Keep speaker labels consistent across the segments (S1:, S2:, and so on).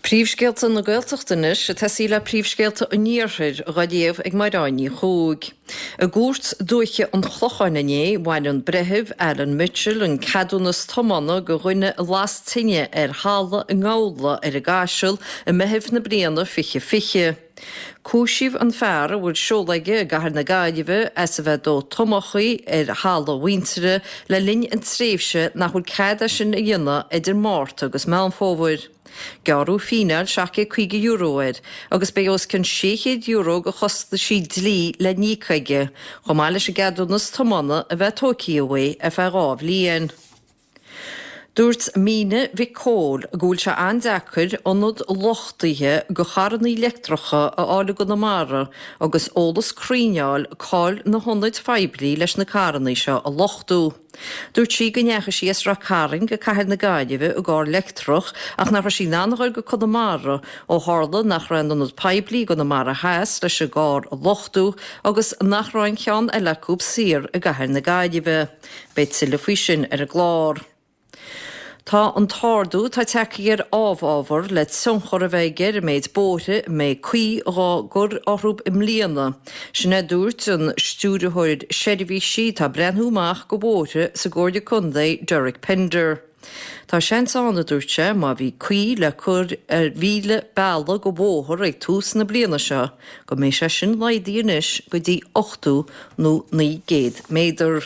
S1: Príomhscéalta na Gaeltachta anois, ag tosaí le príomhscéalta an Iarthair, dhá léamh ag Mairéad Ní Chuaig. I gCúirt Dúiche an Chlocháin inné, bhain an Breitheamh Alan Mitchell an ceadúnas tiomána de dhuine a las tine ar halla i nGabhla ar an gCaiseal i Meitheamh na bliana 2020. Cúisíodh an fear, a bhfuil seoladh aige i gcathair na Gaillimhe, as a bheith ag dó tomachaí ar thalamh a mhuintire le linn an tréimhse nach bhfuil cead é sin a dhéanamh idir Márta agus Meán Fómhair. Gearradh fíneáil €750 air agus beidh os cionn €600 de chostaisí dlí le n-íoc aige, chomh maith leis an gceadúnas tiomána a bheith tóigthe uaidh ar feadh 2 bhliain. Dúirt Míne Mhic Cóil go bhfuil sé an-deacair ionad luchtaithe do charrannaí leictreacha a fháil i gConamara agus eolas cruinn a fháil cá'il na hionaid phoiblí leis na carrannaí seo a luchtú. Dúirt sí go ndeachaigh sí as Ráth Cairn go cathair na Gaillimhe i gcarr leictreach ach nach raibh sí in ann a ghoil go Conamara ó tharla nach raibh aon ionad poiblí i gConamara Theas leis an gcarr a luchtú agus nach raibh aon cheann eile acu saor i gcathair na Gaillimhe. Beidh tuilleadh faoi sin ar an gclár. Tá an t-ardú atá tagtha ar amhábhar le tionchar a bheith aige ar an méid bóithre a mbeidh caoi dhá gcur orthu i mbliana. Sin é a dúirt an Stiúrthóir Seirbhísí atá ag breathnú amach go bhóithre sa gComhairle Contae, Derek Pender. Tá seans ann, a dúirt sé, má bhí caoi le cur ar 1,000 bealach go bhóthar ag tús na bliana seo, go mbeidh sé sin laghdaithe anois go dtí 800 nó 900 méadar.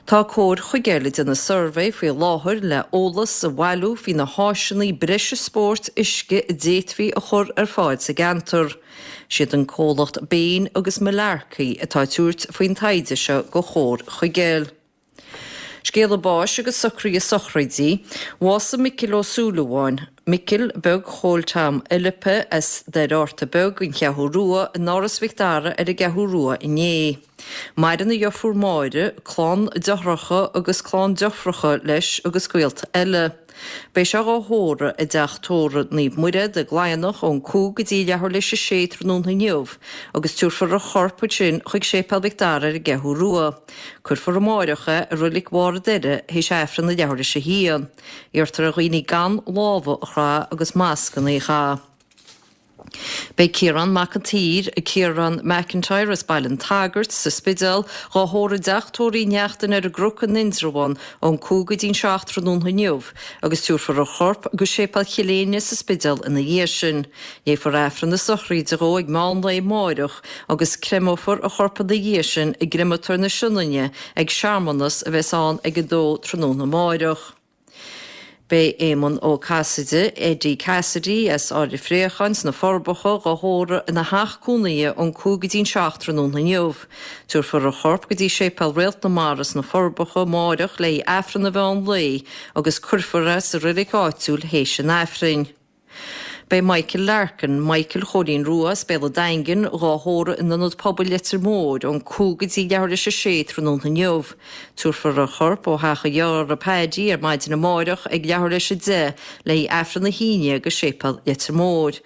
S1: Tá Comhar Chuigéil ag déanamh suirbhé faoi láthair le eolas a bhailiú faoi na háiseanna breise spóirt uisce a d'fhéadfaí a chur ar fáil sa gceantar. Siad an comhlacht Bain agus Malarkey atá ag tabhairt faoin taighde seo go Chomhar Chuigéil. Scéala báis agus socruithe sochraidí. Bhásaigh Micil Ó Súilleabháin, Micil Beag Chóil Tom Fhilipe as Doire Fhátharta Beag, An Cheathrú Rua, in Áras Mhic Dara ar an gCeathrú Rua inné. Maireann a dheirfiúr Máire, clann deartháireacha agus clann deirfiúracha leis agus gaolta eile. Beidh sé dhá thórramh i dteach tórraimh Naomh Muire, i gCladhnach, ón 5 go dtí leathuair théis a sé tráthnóna inniu agus tabharfar a chorp ansin chuig Séipéal Mhic Dara ar an gCeathrú Rua. Cuirfear amáireach é i Roilic Bharr an Doire théis Aifreann ag leathuair théis a haon. Iarrtar ar dhaoine gan lámha a chraith agus mascanna a chaitheamh. Beidh Ciarán Mac an tSaoir, Ciarán McIntyre as Baile an tSagairt, sa Spidéal, dhá thórramh i dteach tórraimh Uí Neachtain ar an gCnoc in Indreabhán ón 5 go dtí'n 7 tráthnóna inniu agus tabharfar a chorp go Séipéal Chill Éinne sa Spidéal ina dhiaidh sin. Léifear Aifreann na sochraide dhó ag meán lae amáireach agus creimeofar a chorp ina dhiaidh sin i gCreamatóir na Sionainne ag searmanas a bheas ann ag a dó tráthnóna amáireach. Beidh Éamonn Ó Casaide, Eddie Cassidy, as Árainn Phréacháin sna Forbacha, dhá thórramh ina theach cónaithe ón 5 go dtí'n 7 tráthnóna inniu. Tabharfar a chorp go dtí Séipéal Réalt na Mara sna Forbacha amáireach le haghaidh Aifreann an mheán lae agus cuirfear é sa reilig áitiúil théis an Aifrinn. Beidh Michael Larkin, Michael Chóilín Rua as Béal an Daingin, dhá thórramh in Ionad Pobail Leitir Móir ón 5 go dtí leathuair théis a sé tráthnóna inniu. Tabharfar a chorp ó theach a dhearthára Paddy ar maidin amáireach ag leathuair théis a 10 le haghaidh Aifreann a haon déag i Séipéal Leitir Móir.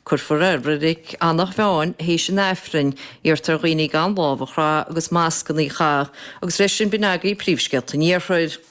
S1: Cuirfear é i Reilig Eanach Mheáin théis an Aifrinn. Iarrtar ar dhaoine gan lámh a chraith agus mascanna a chaitheamh. Agus leis sin b'in agaibh príomhscéalta an Iarthair.